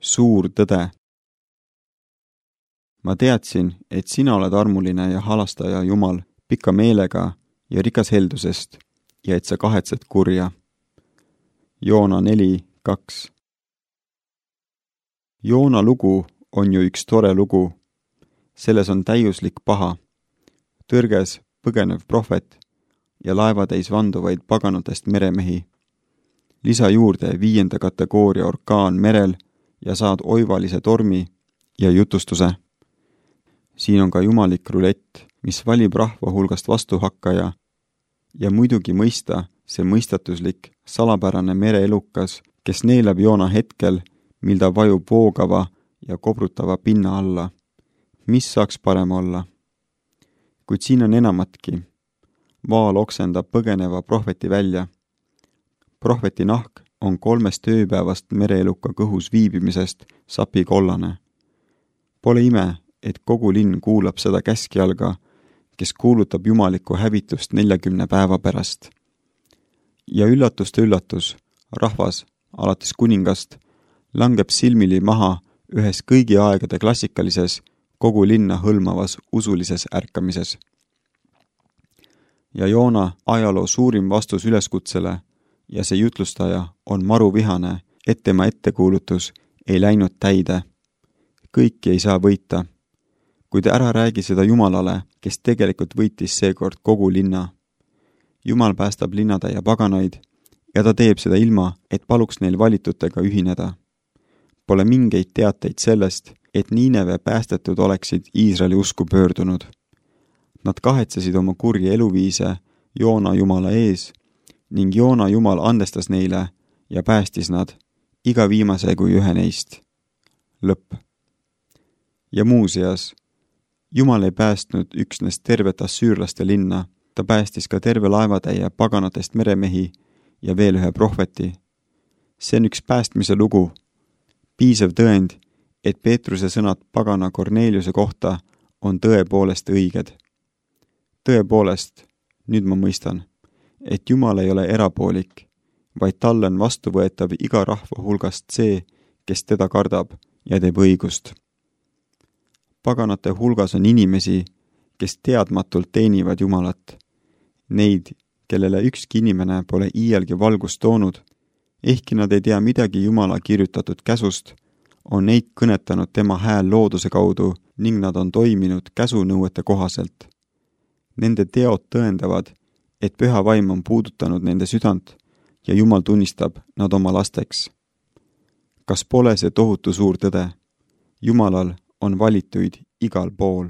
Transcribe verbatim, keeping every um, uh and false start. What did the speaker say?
Suur tõde. Ma teadsin, et sina oled armuline ja halastaja Jumal pika meelega ja rikas heldusest ja et sa kahetsed kurja. Joona neli kaks. Joona lugu on ju üks tore lugu. Selles on täiuslik paha, tõrges põgenev prohvet ja laevatäis vanduvaid paganatest meremehi. Lisa juurde viienda kategooria orkaan merel ja saad oivalise tormi ja jutustuse. Siin on ka jumalik rulett, mis valib rahva hulgast vastuhakkaja ja muidugi mõista see mõistatuslik, salapärane mereelukas, kes neelab Joona hetkel, mil ta vajub voogava ja kobrutava pinna alla. Mis saaks parem olla? Kuid siin on enamatki. Vaal oksendab põgeneva prohveti välja. Prohveti nahk on kolmest ööpäevast mereeluka kõhus viibimisest sapikollane. Pole ime, et kogu linn kuulab seda käskjalga, kes kuulutab jumalikku hävitust neljakümne päeva pärast. Ja üllatust üllatus, rahvas, alates kuningast, langeb silmili maha ühes kõigi aegade klassikalises, kogu linna hõlmavas usulises ärkamises. Ja Joona ajaloo suurim vastus üleskutsele ja see jutlustaja on maruvihane, et tema ettekuulutus ei läinud täide. Kõiki ei saa võita. Kuid ära räägi seda Jumalale, kes tegelikult võitis seekord kogu linna. Jumal päästab linnatäie paganaid ja ta teeb seda ilma, et paluks neil valitutega ühineda. Pole mingeid teateid sellest, et Niineve päästetud oleksid Iisraeli usku pöördunud. Nad kahetsesid oma kurja eluviise Joona Jumala ees ning Joona Jumal andestas neile ja päästis nad, iga viimase kui ühe neist. Lõpp. Ja muuseas, Jumal ei päästnud üksnes tervet assüürlaste linna, ta päästis ka terve laevatäie paganatest meremehi ja veel ühe prohveti. See on üks päästmise lugu. Piisav tõend, et Peetruse sõnad pagana Korneliuse kohta on tõepoolest õiged. Tõepoolest, nüüd ma mõistan, et Jumal ei ole erapoolik, vaid talle on vastuvõetav iga rahva hulgast see, kes teda kardab ja teeb õigust. Paganate hulgas on inimesi, kes teadmatult teenivad Jumalat. Neid, kellele ükski inimene pole iialgi valgust toonud, ehkki nad ei tea midagi Jumala kirjutatud käsust, on neid kõnetanud tema hääl looduse kaudu ning nad on toiminud käsunõuete kohaselt. Nende teod tõendavad, et püha vaim on puudutanud nende südant ja Jumal tunnistab nad oma lasteks. Kas pole see tohutu suur tõde? Jumalal on valituid igal pool.